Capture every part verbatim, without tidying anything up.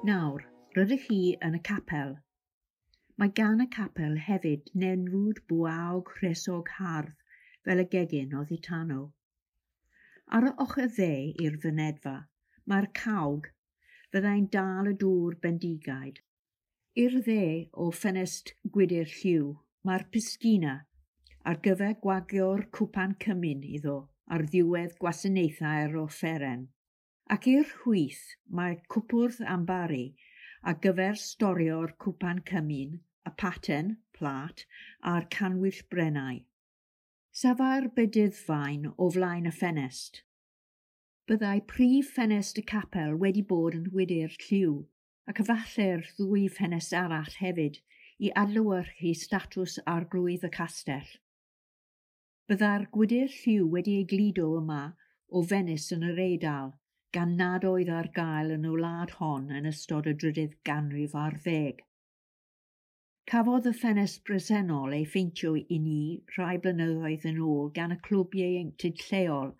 Nawr, rydych chi yn y capel. Mae gan y capel hefyd nenfwd bwaog rhesog hardd fel y gegin oddi tano. Ar y ochr dde i'r fynedfa, mae'r cawg fyddai'n dal y dŵr bendigaid. I'r dde o ffenest gwydr lliw, mae'r piscina ar gyfer gwagio'r cwpan cymun iddo ar ddiwedd gwasanaethau'r offeren. Ac i'r chwith mae cwpwrdd ambaru ar gyfer storio'r cwpan cymun, y paten, plât, a'r canwyll brennau. Safai'r bedyddfaen o flaen y ffenest. Byddai prif ffenest y capel wedi bod yn wydr lliw, ac efallai'r ddwy ffenest arall hefyd i adlewyrchu statws arglwydd y castell. Byddai'r gwydr lliw wedi ei gludo yma o Fenis yn yr Eidal, gan nad oedd ar gael yn y wlad hon yn ystod y drydydd ganrif ar ddeg. Cafodd y ffenest bresennol ei pheintio i ni rhai blynyddoedd yn ôl gan y clwb ieuenctid lleol,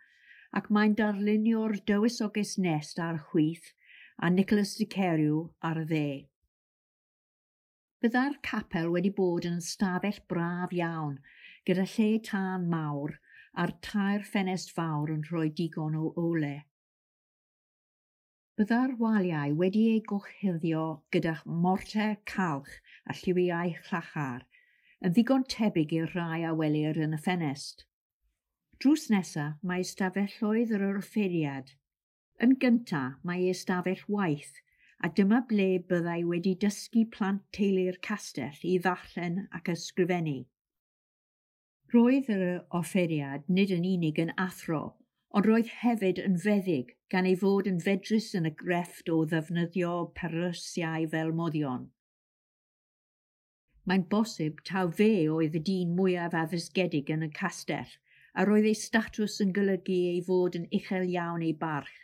ac mae'n darlunio'r dywysoges Nest ar y chwith a Nicholas de Carew ar y dde. Byddai'r capel wedi bod yn ystafell braf iawn, gyda lle tân mawr a'r tair ffenest fawr yn rhoi digon o ole. Byddai'r waliau wedi eu gorchuddio gyda morter calch a lliwiau llachar, yn ddigon tebyg i'r rhai a welir yn y ffenest. Drws nesaf mae ystafelloedd yr offeiriad. Yn gyntaf mae ystafell waith, a dyma ble byddai wedi dysgu plant teulu'r castell i ddarllen ac ysgrifennu. Roedd yr offeiriad nid yn unig yn athro, ond roedd hefyd yn feddyg, gan ei fod yn fedrus yn y grefft o ddefnyddio perlysiau fel moddion. Mae'n bosib taw fe oedd y dyn mwyaf addysgedig yn y castell, a roedd ei statws yn golygu ei fod yn uchel iawn ei barch.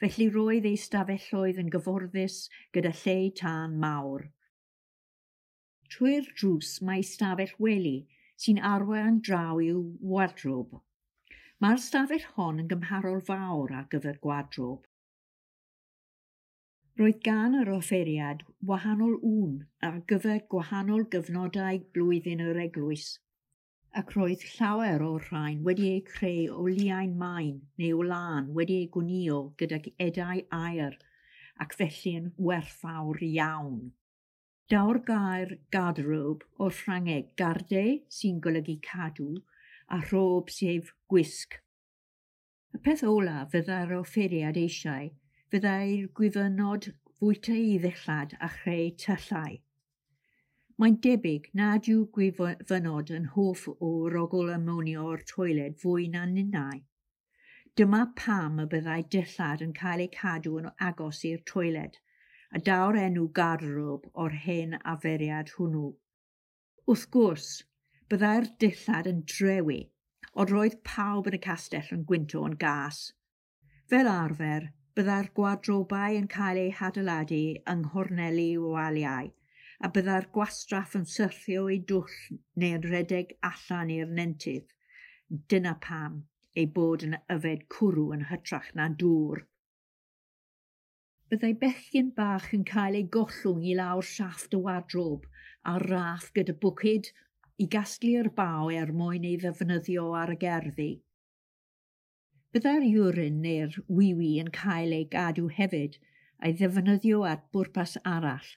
Felly roedd ei stafelloedd yn gyfforddus gyda lle tân mawr. Trwy'r drws mae stafell wely sy'n arwain draw i'w wardrob. Mae'r stafell hon yn gymharol fawr ar gyfer gwardrob. Roedd gan yr offeiriad wahanol ŵn ar gyfer gwahanol gyfnodau blwyddyn yr eglwys, ac roedd llawer o'r rhain wedi eu creu o liain main neu o lân wedi eu gwnïo gydag edau aur, ac felly yn werthfawr iawn. Daw'r gair garderobe o'r Ffrangeg garde, sy'n golygu cadw, a robe sef gwisg. Y peth olaf fyddai'r offeiriad eisiau fyddai'r gwyfynod fwyta ei ddillad a chreu tyllau. Mae'n debyg nad yw gwyfynod yn hoff o rogol amonia o'r toiled fwy na ninnau. Dyma pam y byddai dillad yn cael eu cadw yn agos i'r toiled, a daw'r enw garderobe o'r hen arferiad hwnnw. Wrth gwrs, byddai'r dillad yn drewi, ond roedd pawb yn y castell yn gwynto yn gas. Fel arfer, byddai'r gwadrobau yn cael eu hadeiladu yng nghorneli waliau, a byddai'r gwastraff yn syrthio i dwll neu'n rhedeg allan i'r nentydd. Dyna pam ei bod yn yfed cwrw yn hytrach na dŵr. Byddai bechgyn bach yn cael ei gollwng i lawr siafft y wardrob ar raff gyda bwced i gasglu'r baw er mwyn ei ddefnyddio ar y gerddi. Byddai'r urine neu'r wee-wee yn cael ei gadw hefyd a'i ddefnyddio at bwrpas arall,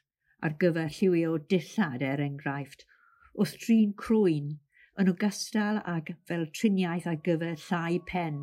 ar gyfer lliwio dillad er enghraifft, wrth drin croen, yn ogystal ag fel triniaeth ar gyfer llau pen.